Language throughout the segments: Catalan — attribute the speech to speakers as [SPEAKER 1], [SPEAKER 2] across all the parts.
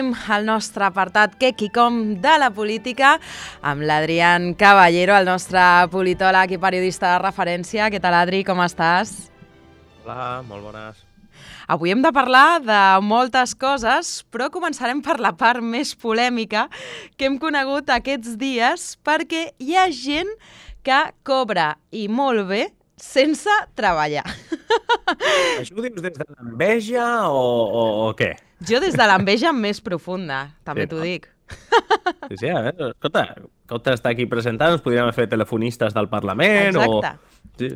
[SPEAKER 1] obrim el nostre apartat què qui com de la política amb l'Adrián Caballero, el nostre politòleg i periodista de referència. Què tal, Adri? Com estàs?
[SPEAKER 2] Hola, molt bones.
[SPEAKER 1] Avui hem de parlar de moltes coses, però començarem per la part més polèmica que hem conegut aquests dies, perquè hi ha gent que cobra i molt bé sense treballar.
[SPEAKER 2] Això ho dius des de l'enveja o què?
[SPEAKER 1] Jo des de l'enveja més profunda, també t'ho dic.
[SPEAKER 2] Sí, a veure, escolta, que està aquí presentant, ens podríem fer telefonistes del Parlament.
[SPEAKER 1] Exacte.
[SPEAKER 2] Sí.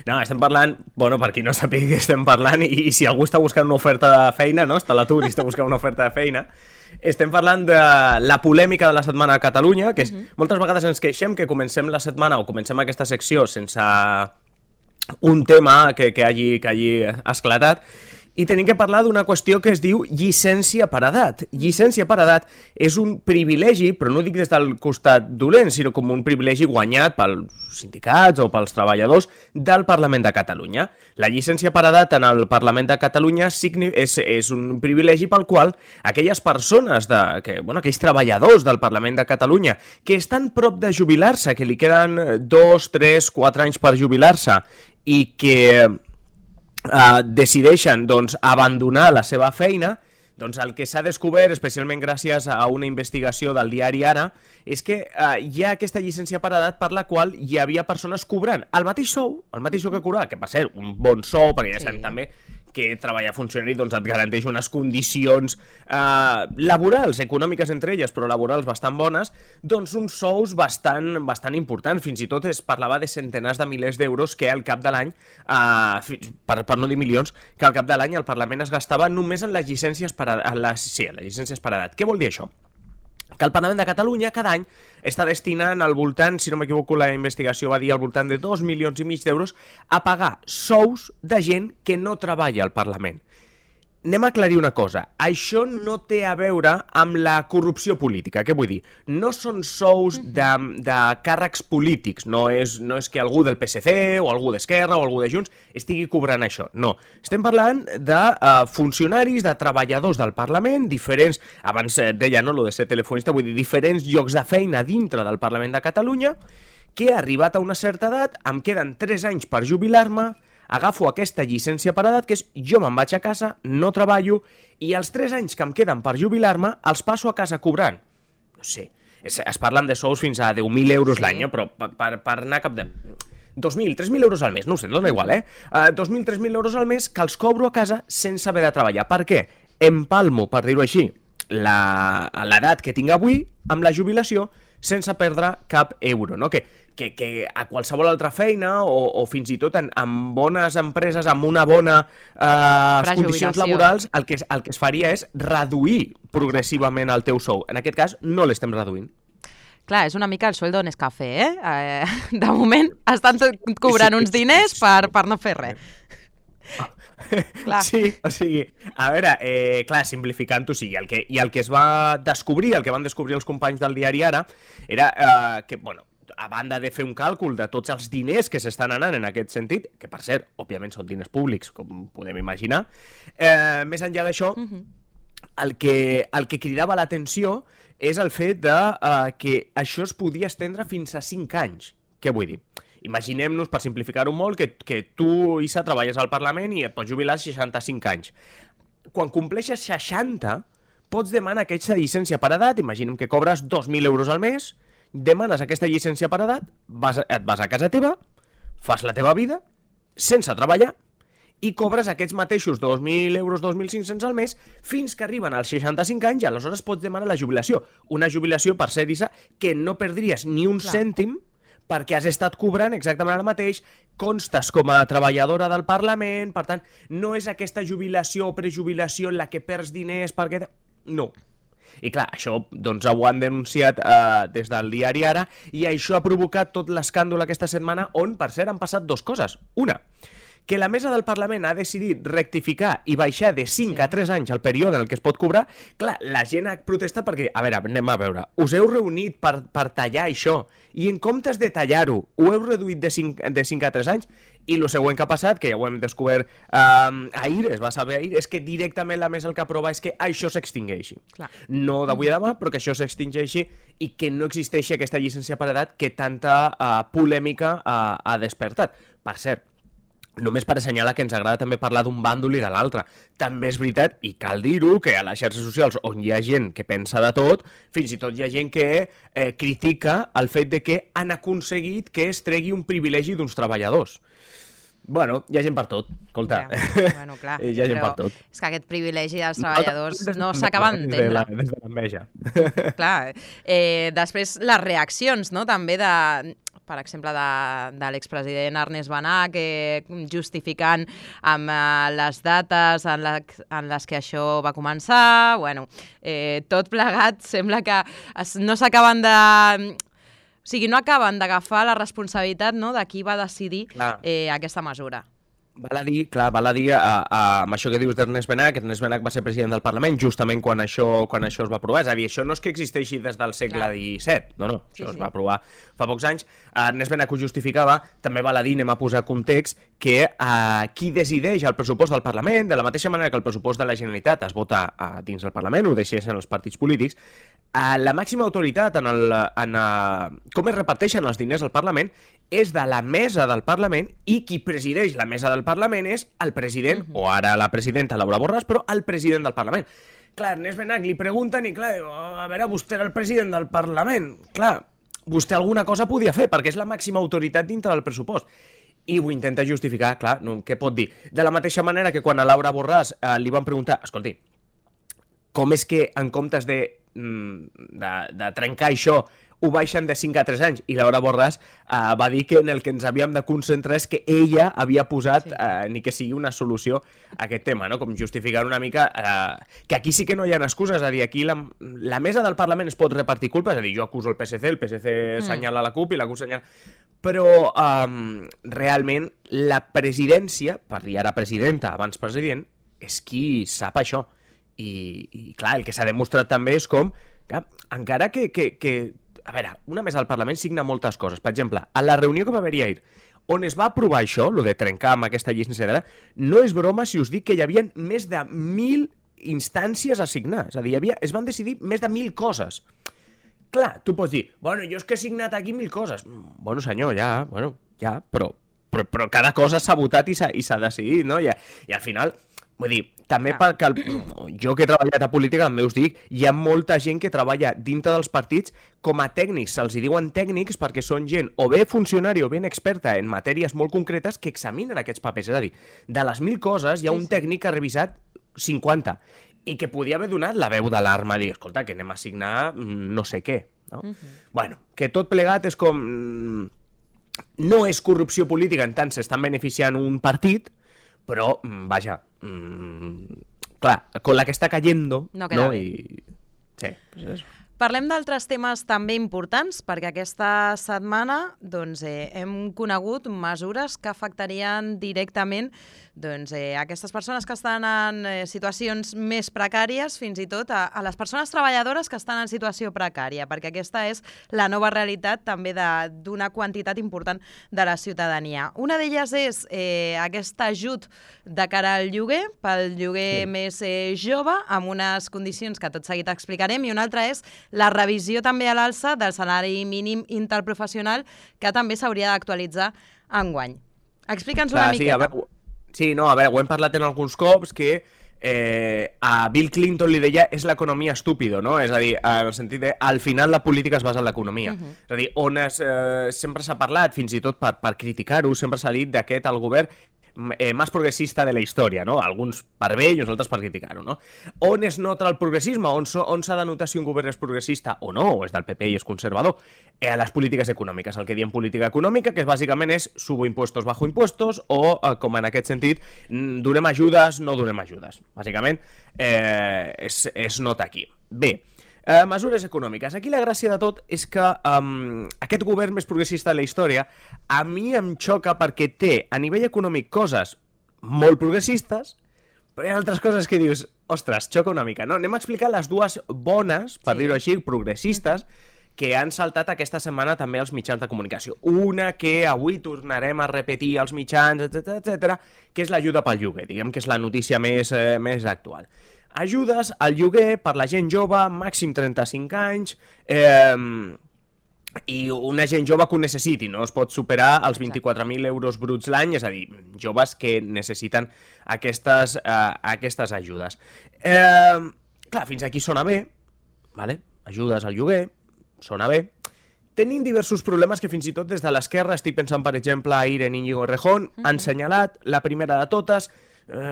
[SPEAKER 2] No, estem parlant, bueno, per qui no sàpiga què estem parlant, i si algú està buscant una oferta de feina, no? Està a l'atur i està buscant una oferta de feina, estem parlant de la polèmica de la setmana a Catalunya, que és, moltes vegades ens queixem que comencem la setmana o comencem aquesta secció sense un tema que hagi esclatat, i tenim que parlar d'una qüestió que es diu llicència per edat. Llicència per edat és un privilegi, però no dic des del costat dolent, sinó com un privilegi guanyat pels sindicats o pels treballadors del Parlament de Catalunya. La llicència per edat en el Parlament de Catalunya és un privilegi pel qual aquelles persones, aquells treballadors del Parlament de Catalunya que estan prop de jubilar-se, que li queden 2, 3, 4 anys per jubilar-se i que decideixen abandonar la seva feina, el que s'ha descobert, especialment gràcies a una investigació del diari Ara, és que hi ha aquesta llicència per edat per la qual hi havia persones cobrant el mateix sou que cobrava, que va ser un bon sou, perquè ja sabem també que treballar funcionari et garanteix unes condicions laborals, econòmiques entre elles, però laborals bastant bones, uns sous bastant importants. Fins i tot es parlava de centenars de milers d'euros que al cap de l'any, per no dir milions, que al cap de l'any el Parlament es gastava només en les llicències per edat. Què vol dir això? Que el Parlament de Catalunya cada any està destinant al voltant, si no m'equivoco la investigació va dir al voltant de 2,5 milions d'euros a pagar sous de gent que no treballa al Parlament. Anem a aclarir una cosa, això no té a veure amb la corrupció política, què vull dir? No són sous de càrrecs polítics, no és que algú del PSC o algú d'Esquerra o algú de Junts estigui cobrant això, no. Estem parlant de funcionaris, de treballadors del Parlament, diferents, abans deia, no, lo de ser telefonista, vull dir, diferents llocs de feina dintre del Parlament de Catalunya, que arribat a una certa edat, em queden 3 anys per jubilar-me, agafo aquesta llicència per edat, que és jo me'n vaig a casa, no treballo, i els 3 anys que em queden per jubilar-me els passo a casa cobrant. No sé, es parlen de sous fins a 10.000 euros l'any, però per anar cap de 2.000, 3.000 euros al mes, no ho sé, no dona igual, 2.000, 3.000 euros al mes que els cobro a casa sense haver de treballar. Per què? Empalmo, per dir-ho així, l'edat que tinc avui amb la jubilació sense perdre cap euro, no? Que a qualsevol altra feina o fins i tot en bones empreses, amb una bona condicions laborals, el que es faria és reduir progressivament el teu sou. En aquest cas, no l'estem reduint.
[SPEAKER 1] Clar, és una mica el sueldo Nescafé, De moment estan cobrant uns diners per no fer res.
[SPEAKER 2] Sí, o sigui, a veure, clar, simplificant-ho, sí, el que es va descobrir, el que van descobrir els companys del diari Ara, era que, bueno, a banda de fer un càlcul de tots els diners que s'estan anant en aquest sentit, que per cert, òbviament són diners públics, com podem imaginar, més enllà d'això, el que cridava l'atenció és el fet que això es podia estendre fins a 5 anys. Què vull dir? Imaginem-nos, per simplificar-ho molt, que tu, Issa, treballes al Parlament i et pots jubilar als 65 anys. Quan compleixes 60, pots demanar aquesta llicència per edat, imaginem que cobres 2.000 euros al mes, demanes aquesta llicència per edat, et vas a casa teva, fas la teva vida, sense treballar, i cobres aquests mateixos 2.000 euros, 2.500 al mes, fins que arriben als 65 anys i aleshores pots demanar la jubilació. Una jubilació, per ser, Issa, que no perdries ni un cèntim perquè has estat cobrant exactament el mateix, constes com a treballadora del Parlament, per tant, no és aquesta jubilació o prejubilació en la que perds diners perquè... No. I clar, això ho han denunciat des del diari Ara i això ha provocat tot l'escàndol aquesta setmana on, per cert, han passat 2 coses. Una, que la mesa del Parlament ha decidit rectificar i baixar de 5 a 3 anys el període en el que es pot cobrar, clar, la gent ha protestat perquè, a veure, anem a veure, us heu reunit per tallar això i en comptes de tallar-ho, ho heu reduït de 5 a 3 anys i el següent que ha passat, que ja ho hem descobert ahir, es va saber ahir, és que directament la mesa el que aprova és que això s'extingeixi. No d'avui a demà, però que això s'extingeixi i que no existeixi aquesta llicència per edat que tanta polèmica ha despertat. Per cert, només per assenyalar que ens agrada també parlar d'un bàndol i de l'altre. També és veritat, i cal dir-ho, que a les xarxes socials on hi ha gent que pensa de tot, fins i tot hi ha gent que critica el fet de que han aconseguit que es tregui un privilegi d'uns treballadors. Bueno, hi ha gent per tot, escolta.
[SPEAKER 1] Bueno, clar, hi ha gent per tot. És que aquest privilegi dels treballadors no s'acaba d'entendre.
[SPEAKER 2] Des de l'enveja.
[SPEAKER 1] Clar. Després, les reaccions, no?, també per exemple, de l'expresident Ernest Benach, justificant amb les dates en les que això va començar. Bueno, tot plegat sembla que no s'acaben de... O sigui, no acaben d'agafar la responsabilitat, no?, de qui va decidir aquesta mesura.
[SPEAKER 2] Val a dir, amb això que dius d'Ernest Benach, Ernest Benach va ser president del Parlament justament quan això es va aprovar. És a dir, això no és que existeixi des del segle XVII, no, això es va aprovar fa pocs anys. Ernest Benach ho justificava, també val a dir, anem a posar context, que qui decideix el pressupost del Parlament, de la mateixa manera que el pressupost de la Generalitat es vota dins del Parlament, ho deixessin els partits polítics, la màxima autoritat en com es reparteixen els diners al Parlament és de la mesa del Parlament i qui presideix la mesa del Parlament és el president, o ara la presidenta Laura Borràs, però el president del Parlament. Clar, Ernest Benach li pregunten i clar, a veure, vostè era el president del Parlament. Clar, vostè alguna cosa podia fer perquè és la màxima autoritat dintre del pressupost. I ho intenta justificar, clar, què pot dir? De la mateixa manera que quan a Laura Borràs li van preguntar, escolti, com és que en comptes de trencar això ho baixen de 5 a 3 anys, i Laura Borràs va dir que en el que ens havíem de concentrar és que ella havia posat ni que sigui una solució a aquest tema, no? Com justificar una mica que aquí sí que no hi ha excuses, és a dir, aquí la mesa del Parlament es pot repartir culpa, és a dir, jo acuso el PSC assenyala la CUP i la CUP assenyala... Però realment la presidència, per dir ara presidenta abans president, és qui sap això. I clar, el que s'ha demostrat també és com, que encara que a veure, una mesa del Parlament signa moltes coses. Per exemple, a la reunió que va haver-hi ahir, on es va aprovar això, el de trencar amb aquesta llicència d'edat, no és broma si us dic que hi havia més de 1.000 instàncies a signar. És a dir, es van decidir més de 1.000 coses. Clar, tu pots dir, bueno, jo és que he signat aquí 1.000 coses. Bueno, senyor, ja, però cada cosa s'ha votat i s'ha decidit, no? I al final... Vull dir, també perquè jo que he treballat a política, també us dic, hi ha molta gent que treballa dintre dels partits com a tècnics. Se'ls diuen tècnics perquè són gent o bé funcionari o ben experta en matèries molt concretes que examinen aquests papers. És a dir, de les 1.000 coses hi ha un tècnic que ha revisat 50 i que podia haver donat la veu d'alarma i dir, escolta, que anem a signar no sé què. No? Bueno, que tot plegat és com... No és corrupció política, en tant s'estan beneficiant un partit, però, vaja, clar, con la que està cayendo...
[SPEAKER 1] No queda bé.
[SPEAKER 2] Sí, pues eso.
[SPEAKER 1] Parlem d'altres temes també importants, perquè aquesta setmana hem conegut mesures que afectarien directament aquestes persones que estan en situacions més precàries, fins i tot a les persones treballadores que estan en situació precària, perquè aquesta és la nova realitat també d'una quantitat important de la ciutadania. Una d'elles és aquest ajut de cara al lloguer, pel lloguer més jove, amb unes condicions que tot seguit explicarem, i una altra és la revisió també a l'alça del salari mínim interprofessional, que també s'hauria d'actualitzar enguany. Explica'ns una miqueta.
[SPEAKER 2] A veure, ho hem parlat en alguns cops, que a Bill Clinton li deia és l'economia estúpido, no? És a dir, en el sentit de, al final la política es basa en l'economia. És a dir, on sempre s'ha parlat, fins i tot per criticar-ho, sempre s'ha dit d'aquest el govern més progressista de la història, no? Alguns per bé i els altres per criticar-ho, no? On es nota el progressisme? On s'ha de notar si un govern és progressista o no, o és del PP i és conservador? A les polítiques econòmiques, el que diem política econòmica, que bàsicament és subo impuestos, bajo impuestos, o, com en aquest sentit, donem ajudes, no donem ajudes. Bàsicament, es nota aquí. Bé, Mesures econòmiques. Aquí la gràcia de tot és que aquest govern més progressista de la història a mi em xoca perquè té a nivell econòmic coses molt progressistes, però hi ha altres coses que dius, ostres, xoca una mica, no? Anem a explicar les dues bones, per dir-ho així, progressistes, que han saltat aquesta setmana també als mitjans de comunicació. Una que avui tornarem a repetir als mitjans, etc, que és l'ajuda pel lloguer, diguem que és la notícia més actual. Ajudes al lloguer per la gent jove, màxim 35 anys, i una gent jove que ho necessiti, no es pot superar els 24.000 euros bruts l'any, és a dir, joves que necessiten aquestes ajudes. Clar, fins aquí sona bé, vale? Ajudes al lloguer, sona bé. Tenim diversos problemes que fins i tot des de l'esquerra, estic pensant per exemple a Irene Íñigo Errejón, han assenyalat. La primera de totes,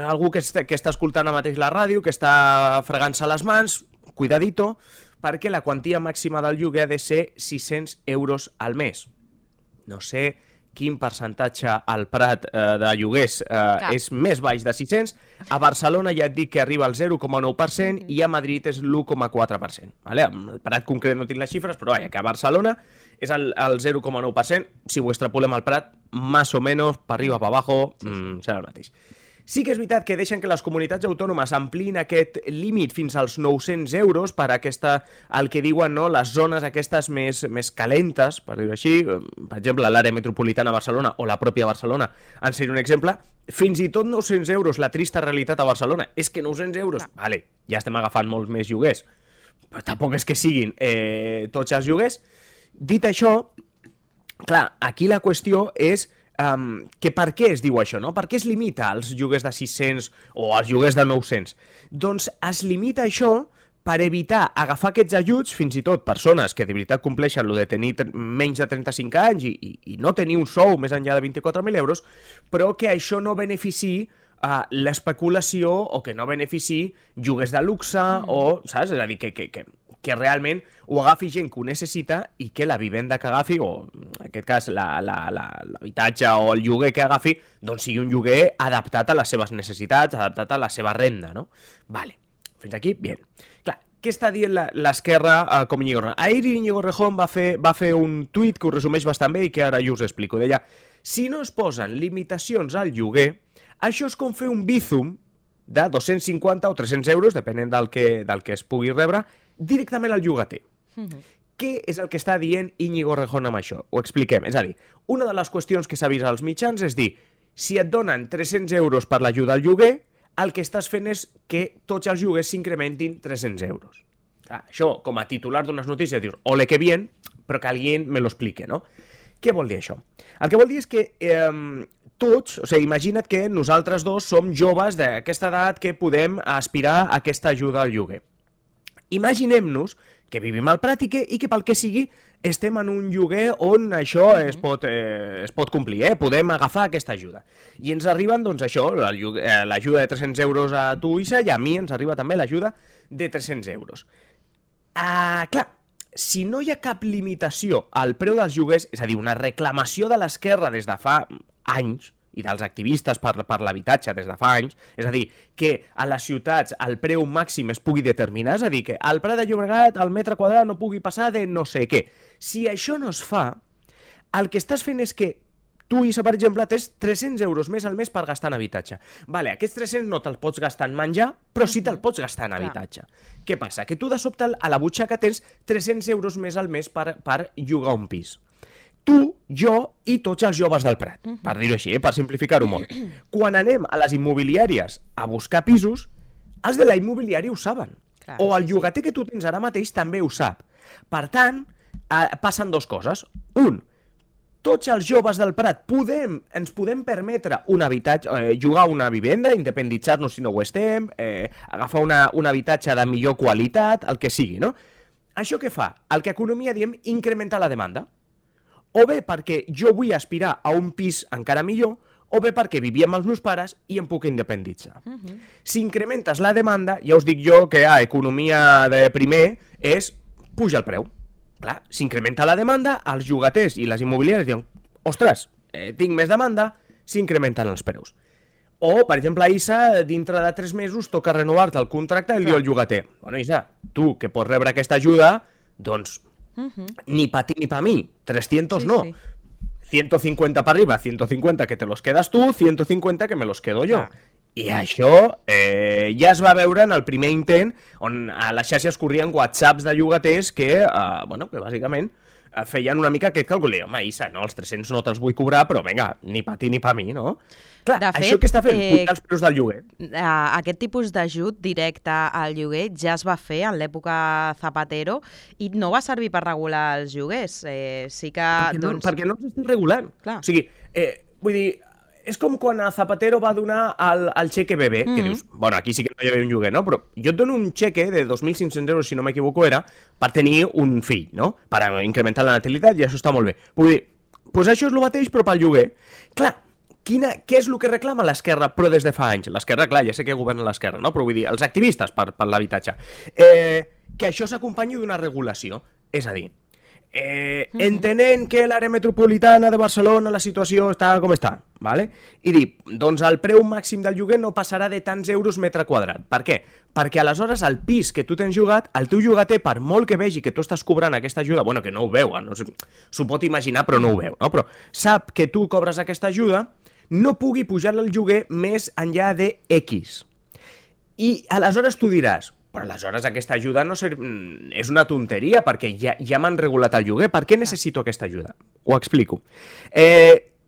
[SPEAKER 2] algú que està escoltant ara mateix la ràdio, que està fregant-se les mans, cuidadito, perquè la quantia màxima del lloguer ha de ser 600 euros al mes. No sé quin percentatge al Prat de lloguers és més baix de 600. A Barcelona ja et dic que arriba al 0,9% i a Madrid és l'1,4%. Vale? Al Prat concret no tinc les xifres, però que a Barcelona és el 0,9%. Si ho extrapolem al Prat, más o menos, per arriba, per abajo, serà el mateix. Sí que és veritat que deixen que les comunitats autònomes ampliïn aquest límit fins als 900 euros per el que diuen les zones aquestes més calentes, per dir-ho així. Per exemple, l'àrea metropolitana de Barcelona o la pròpia Barcelona en seria un exemple. Fins i tot 900 euros, la trista realitat a Barcelona. És que 900 euros, vale, ja estem agafant molts més lloguers, però tampoc és que siguin tots els lloguers. Dit això, clar, aquí la qüestió és que per què es diu això, no? Per què es limita als lloguers de 600 o als lloguers de 900? Doncs es limita això per evitar agafar aquests ajuts, fins i tot persones que de veritat compleixen el de tenir menys de 35 anys i no tenir un sou més enllà de 24.000 euros, però que això no beneficiï l'especulació o que no beneficiï lloguers de luxe o, saps? És a dir, que realment ho agafi gent que ho necessita i que la vivenda que agafi, o en aquest cas l'habitatge o el lloguer que agafi, doncs sigui un lloguer adaptat a les seves necessitats, adaptat a la seva renda, no? Vale, fins aquí, bien. Clar, què està dient l'esquerra com Íñigo Errejón? Ahir Íñigo Errejón va fer un tuit que ho resumeix bastant bé i que ara jo us explico. Deia, si no es posen limitacions al lloguer, això és com fer un Bizum de 250 o 300 euros, depenent del que es pugui rebre, directament al llogater. Què és el que està dient Íñigo Errejón amb això? Ho expliquem. És a dir, una de les qüestions que s'ha vist als mitjans és dir, si et donen 300 euros per l'ajuda al lloguer, el que estàs fent és que tots els lloguers s'incrementin 300 euros. Això, com a titular d'unes notícies, dius, ole que bien, però que alguien me lo explique, no? Què vol dir això? El que vol dir és que tots, o sigui, imagina't que nosaltres dos som joves d'aquesta edat que podem aspirar a aquesta ajuda al lloguer. Imaginem-nos que vivim al Prat i que pel que sigui estem en un lloguer on això es pot complir, podem agafar aquesta ajuda. I ens arriben, doncs, això, l'ajuda de 300 euros a tu, Isa, i a mi ens arriba també l'ajuda de 300 euros. Clar, si no hi ha cap limitació al preu dels lloguers, és a dir, una reclamació de l'esquerra des de fa anys, i dels activistes per l'habitatge des de fa anys, és a dir, que a les ciutats el preu màxim es pugui determinar, és a dir, que al Prat de Llobregat el metre quadrat no pugui passar de no sé què. Si això no es fa, el que estàs fent és que tu, Isa, per exemple, tens 300 euros més al mes per gastar en habitatge. Vale, aquests 300 no te'ls pots gastar en menjar, però sí te'l pots gastar en habitatge. Què passa? Que tu de sobte a la butxaca tens 300 euros més al mes per llogar un pis. Tu, jo i tots els joves del Prat, per dir-ho així, per simplificar-ho molt. Quan anem a les immobiliàries a buscar pisos, els de la immobiliària ho saben. O el llogater que tu tens ara mateix també ho sap. Per tant, passen dues coses. Un, tots els joves del Prat ens podem permetre un habitatge, llogar una vivenda, independitzar-nos si no ho estem, agafar un habitatge de millor qualitat, el que sigui, no? Això què fa? El que a economia diem incrementa la demanda. O bé perquè jo vull aspirar a un pis encara millor, o bé perquè vivia amb els meus pares i em puc independitzar. Si incrementes la demanda, ja us dic jo que a economia de primer és puja el preu. Clar, s'incrementa la demanda, els llogaters i les immobiliàries diuen, ostres, tinc més demanda, s'incrementen els preus. O, per exemple, a Isa, dintre de 3 mesos toca renovar-te el contracte i li diu al llogater, bueno, Isa, tu que pots rebre aquesta ajuda, doncs ni pa ti ni pa mi, 300 no. 150 para arriba, 150 que te los quedas tu, 150 que me los quedo jo. I això ja es va veure en el primer intent on a les xarxes corrien whatsapps de llogaters que, que bàsicament feien una mica aquest càlcul. Home, Issa, no, els 300 no te'ls vull cobrar, però vinga, ni pa ti ni pa mi, no? Clar,
[SPEAKER 1] de fet,
[SPEAKER 2] això que està fent, pujar els preus del lloguer.
[SPEAKER 1] Aquest tipus d'ajut directe al lloguer ja es va fer en l'època Zapatero i no va servir per regular els lloguers. Sí que,
[SPEAKER 2] perquè no s'està regulant.
[SPEAKER 1] Clar.
[SPEAKER 2] O sigui, vull dir, és com quan a Zapatero va donar el xeque bebè, que dius, bueno, aquí sí que no hi havia un lloguer, no? Però jo et dono un xeque de 2.500 euros, si no m'equivoco, era per tenir un fill, no? Per incrementar la natalitat, i això està molt bé. Vull dir, doncs això és el mateix, però pel lloguer. Clar, què és el que reclama l'esquerra, però des de fa anys? L'esquerra, clar, ja sé que governa l'esquerra, no? Però vull dir, els activistes per l'habitatge. Que això s'acompanyi d'una regulació. És a dir, entenent que l'àrea metropolitana de Barcelona la situació està com està, ¿vale? I dir, doncs el preu màxim del lloguer no passarà de tants euros metre quadrat. Per què? Perquè aleshores el pis que tu tens llogat, el teu llogater, per molt que vegi que tu estàs cobrant aquesta ajuda, bueno, que no ho veu, no s'ho pot imaginar, però no ho veu, no? Però sap que tu cobres aquesta ajuda, no pugui pujar el lloguer més enllà de X. I aleshores tu diràs, però aleshores aquesta ajuda no és una tonteria, perquè ja m'han regulat el lloguer. Per què necessito aquesta ajuda? Ho explico.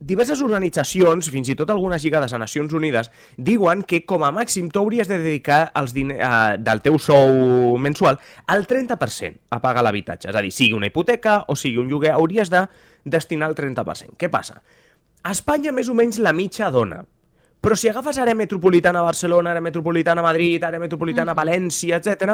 [SPEAKER 2] Diverses organitzacions, fins i tot algunes lligades a Nacions Unides, diuen que com a màxim tu hauries de dedicar els diners del teu sou mensual al 30% a pagar l'habitatge. És a dir, sigui una hipoteca o sigui un lloguer, hauries de destinar el 30%. Què passa? A Espanya més o menys la mitja dona. Però si agafes àrea metropolitana a Barcelona, àrea metropolitana a Madrid, àrea metropolitana a València, etc.,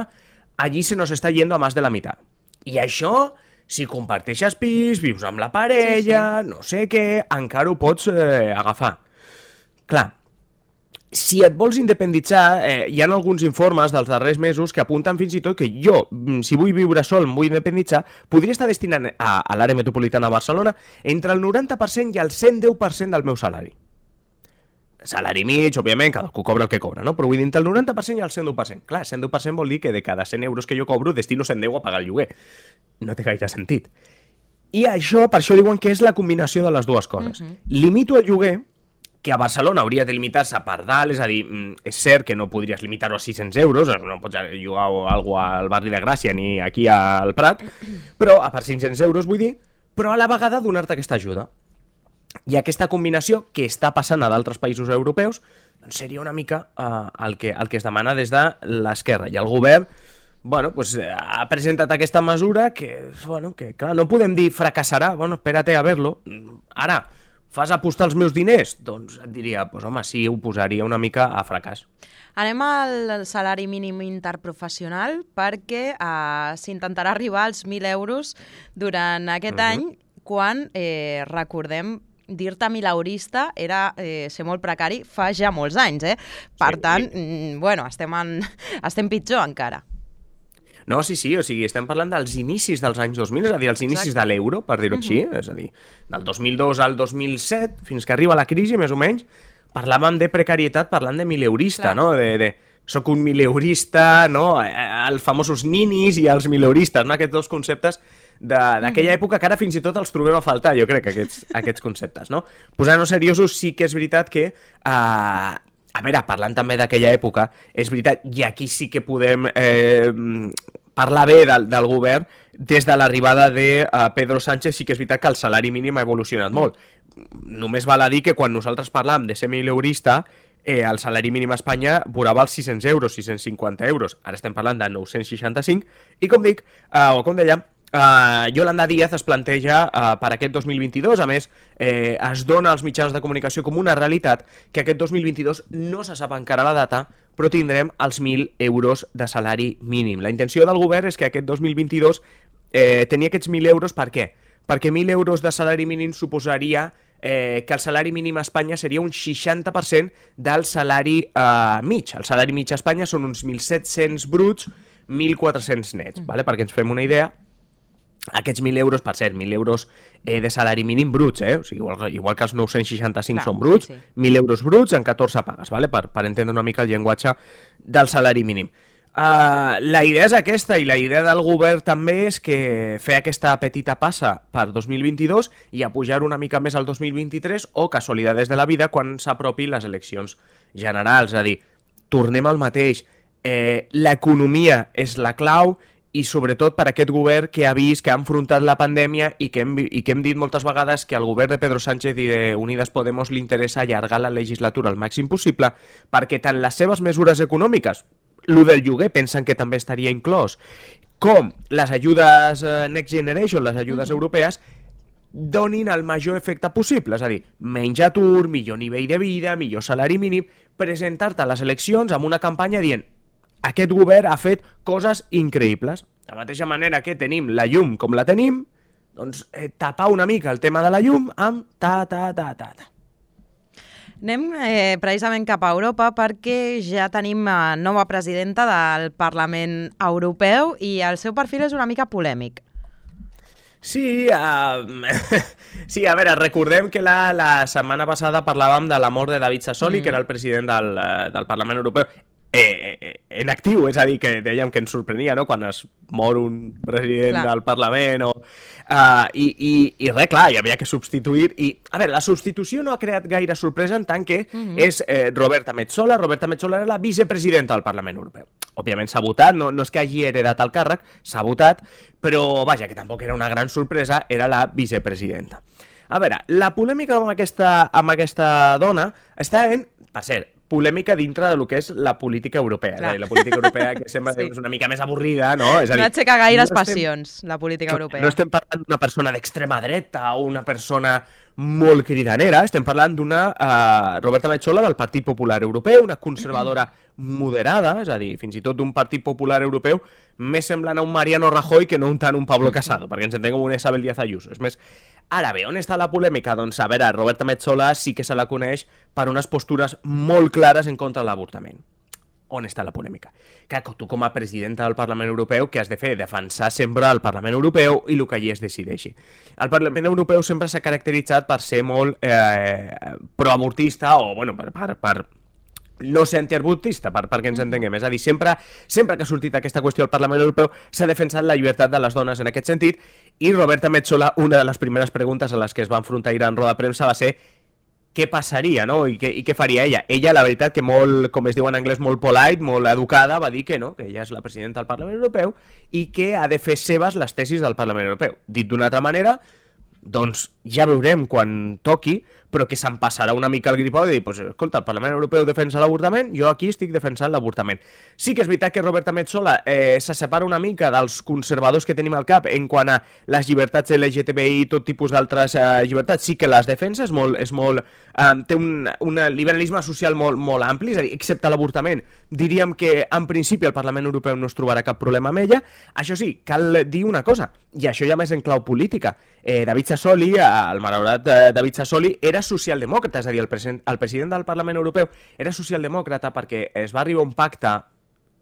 [SPEAKER 2] allí se nos està yendo a més de la meitat. I això, si comparteixes pis, vius amb la parella, no sé què, encara ho pots agafar. Clar, si et vols independitzar, hi ha alguns informes dels darrers mesos que apunten fins i tot que jo, si vull viure sol, em vull independitzar, podria estar destinant a l'àrea metropolitana de Barcelona entre el 90% i el 110% del meu salari. Salari mig, òbviament, cadascú cobra el que cobra, no? Però vull dir, entre el 90% i el 110%. Clar, 110% vol dir que de cada 100 euros que jo cobro, destino 110 a pagar el lloguer. No té gaire sentit. I això, per això diuen que és la combinació de les dues coses. Limito el lloguer, que a Barcelona hauria de limitar-se per dalt, és a dir, és cert que no podries limitar-ho a 600 euros, no pots llogar alguna cosa al barri de Gràcia ni aquí al Prat, però a per 500 euros, vull dir, però a la vegada donar-te aquesta ajuda. I aquesta combinació que està passant a d'altres països europeus doncs seria una mica el que es demana des de l'esquerra. I el govern ha presentat aquesta mesura que clar, no podem dir fracassarà, espérate a verlo. Ara, fas apostar els meus diners? Doncs et diria, home, sí, ho posaria una mica a fracàs.
[SPEAKER 1] Anem al salari mínim interprofessional perquè s'intentarà arribar als 1.000 euros durant aquest any, quan, recordem, dir-te mileurista era ser molt precari fa ja molts anys, Per tant, estem pitjor encara.
[SPEAKER 2] No, sí, o sigui, estem parlant dels inicis dels anys 2000, és a dir, els inicis de l'euro, per dir-ho així, és a dir, del 2002 al 2007, fins que arriba la crisi, més o menys, parlàvem de precarietat parlant de mileurista, no? Soc un mileurista, no? Els famosos ninis i els mileuristes, no? Aquests dos conceptes d'aquella època que ara fins i tot els trobem a faltar, jo crec, aquests conceptes, no? Posant-nos seriosos, sí que és veritat que, a veure, parlant també d'aquella època, és veritat, i aquí sí que podem parlar bé del govern, des de l'arribada de Pedro Sánchez, sí que és veritat que el salari mínim ha evolucionat molt. Només val a dir que quan nosaltres parlàvem de ser mileurista, el salari mínim a Espanya vorava els 600 euros, 650 euros. Ara estem parlant de 965, i com dic, o com dèiem, Yolanda Díaz es planteja per aquest 2022, a més es dona als mitjans de comunicació com una realitat que aquest 2022 no se sap encara la data, però tindrem els 1.000 euros de salari mínim. La intenció del govern és que aquest 2022 tenir aquests 1.000 euros, per què? Perquè 1.000 euros de salari mínim suposaria que el salari mínim a Espanya seria un 60% del salari mig. El salari mig a Espanya són uns 1.700 bruts, 1.400 nets, perquè ens fem una idea. Aquests 1.000 euros, per cert, 1.000 euros de salari mínim bruts, o sigui, igual que els 965 són bruts, 1.000 euros bruts en 14 pagues, per entendre una mica el llenguatge del salari mínim. La idea és aquesta, i la idea del govern també és que fer aquesta petita passa per 2022 i a pujar una mica més al 2023 o casualitats de la vida quan s'apropin les eleccions generals. És a dir, tornem al mateix. L'economia és la clau i sobretot per aquest govern que ha vist, que ha enfrontat la pandèmia i que hem dit moltes vegades que al govern de Pedro Sánchez i de Unidas Podemos li interessa allargar la legislatura al màxim possible perquè tant les seves mesures econòmiques, lo del lloguer pensen que també estaria inclòs, com les ajudes Next Generation, les ajudes europees, donin el major efecte possible. És a dir, menys atur, millor nivell de vida, millor salari mínim, presentar-te a les eleccions amb una campanya dient aquest govern ha fet coses increïbles. De la mateixa manera que tenim la llum com la tenim, doncs tapar una mica el tema de la llum amb ta.
[SPEAKER 1] Anem precisament cap a Europa perquè ja tenim nova presidenta del Parlament Europeu i el seu perfil és una mica polèmic.
[SPEAKER 2] Sí, sí, a veure, recordem que la setmana passada parlàvem de la mort de David Sassoli, que era el president del Parlament Europeu, en actiu, és a dir, que dèiem que ens sorprenia, no?, quan es mor un president del Parlament i res, clar, hi havia que substituir i, a veure, la substitució no ha creat gaire sorpresa en tant que és Roberta Metsola. Roberta Metsola era la vicepresidenta del Parlament Europeu. Òbviament s'ha votat, no és que hagi heredat el càrrec, s'ha votat, però vaja, que tampoc era una gran sorpresa, era la vicepresidenta. A veure, la polèmica amb aquesta dona està en, per cert, polèmica dintre del que és la política europea. La política europea que sembla és una mica més avorrida, no? És a dir,
[SPEAKER 1] no aixeca gaires passions, la política europea.
[SPEAKER 2] No estem parlant d'una persona d'extrema dreta o una persona molt cridanera, estem parlant d'una Roberta Metsola del Partit Popular Europeu, una conservadora moderada, és a dir, fins i tot d'un Partit Popular Europeu més semblant a un Mariano Rajoy que no tant un Pablo Casado, perquè ens entenguem una Isabel Díaz Ayuso. És més, ara bé, on està la polèmica? Doncs, a veure, Roberta Metsola sí que se la coneix per unes postures molt clares en contra de l'avortament. On està la polèmica? Que tu, com a presidenta del Parlament Europeu, què has de fer? Defensar sempre el Parlament Europeu i el que allí es decideixi. El Parlament Europeu sempre s'ha caracteritzat per ser molt proavortista o, bueno, per no ser antiabortista, perquè ens entenguem. És a dir, sempre que ha sortit aquesta qüestió al Parlament Europeu s'ha defensat la llibertat de les dones en aquest sentit i Roberta Metsola, una de les primeres preguntes a les que es va enfrontar ahir en roda de premsa va ser què passaria, no? I què faria ella. Ella, la veritat, que molt, com es diu en anglès, molt polite, molt educada, va dir que no, que ella és la presidenta del Parlament Europeu i que ha de fer seves les tesis del Parlament Europeu. Dit d'una altra manera, doncs ja veurem quan toqui, però que se'n passarà una mica el gripau de dir, pues, escolta, el Parlament Europeu defensa l'avortament, jo aquí estic defensant l'avortament. Sí que és veritat que Roberta Metsola se separa una mica dels conservadors que tenim al cap en quant a les llibertats LGTBI i tot tipus d'altres llibertats, sí que les defensa, té un liberalisme social molt ampli, és a dir, excepte l'avortament. Diríem que en principi el Parlament Europeu no es trobarà cap problema amb ella. Això sí, cal dir una cosa, i això ja més en clau política. David Sassoli, el malaurat David Sassoli, era socialdemòcrata, és a dir, el president del Parlament Europeu era socialdemòcrata perquè es va arribar a un pacte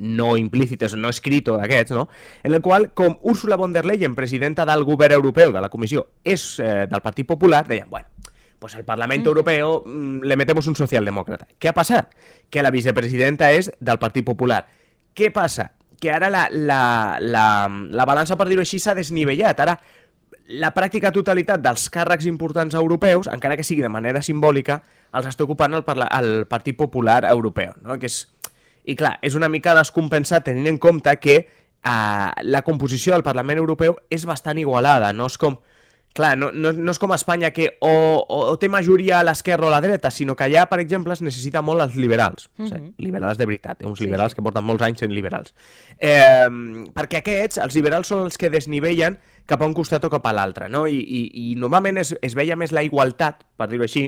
[SPEAKER 2] no implícit, no escrit d'aquests, no? En el qual, com Ursula von der Leyen, presidenta del govern europeu, de la comissió, és del Partit Popular, deien, bueno, pues al Parlamento Europeo le metemos un socialdemòcrata. ¿Qué ha passat? Que la vicepresidenta és del Partit Popular. Què passa? Que ara la balança, per dir-ho així, s'ha desnivellat. Ara, la pràctica totalitat dels càrrecs importants europeus, encara que sigui de manera simbòlica, els està ocupant el Partit Popular Europeu, no? I clar, és una mica descompensat tenint en compte que la composició del Parlament Europeu és bastant igualada, no és com... Clar, no és com a Espanya que o té majoria a l'esquerra o a la dreta, sinó que allà, per exemple, es necessita molt els liberals. O sigui, liberals de veritat, uns liberals que porten molts anys sent liberals. Perquè aquests, els liberals, són els que desnivellen cap a un costat o cap a l'altre, no? I normalment es veia més la igualtat, per dir-ho així,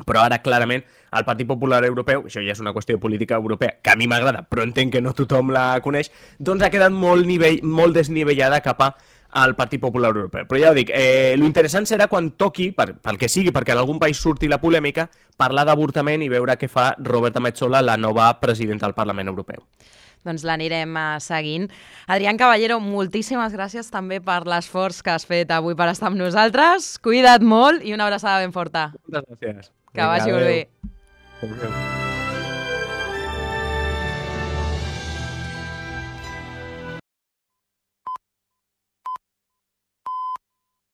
[SPEAKER 2] però ara, clarament, el Partit Popular Europeu, això ja és una qüestió de política europea, que a mi m'agrada, però entenc que no tothom la coneix, doncs ha quedat molt desnivellada cap al Partit Popular Europeu. Però ja ho dic, l'interessant serà quan toqui, pel que sigui, perquè en algun país surti la polèmica, parlar d'avortament i veure què fa Roberta Metsola, la nova presidenta del Parlament Europeu.
[SPEAKER 1] Doncs l'anirem seguint. Adrián Caballero, moltíssimes gràcies també per l'esforç que has fet avui per estar amb nosaltres. Cuida't molt i una abraçada ben forta.
[SPEAKER 2] Moltes gràcies.
[SPEAKER 1] Que vagi molt bé.
[SPEAKER 2] Adéu.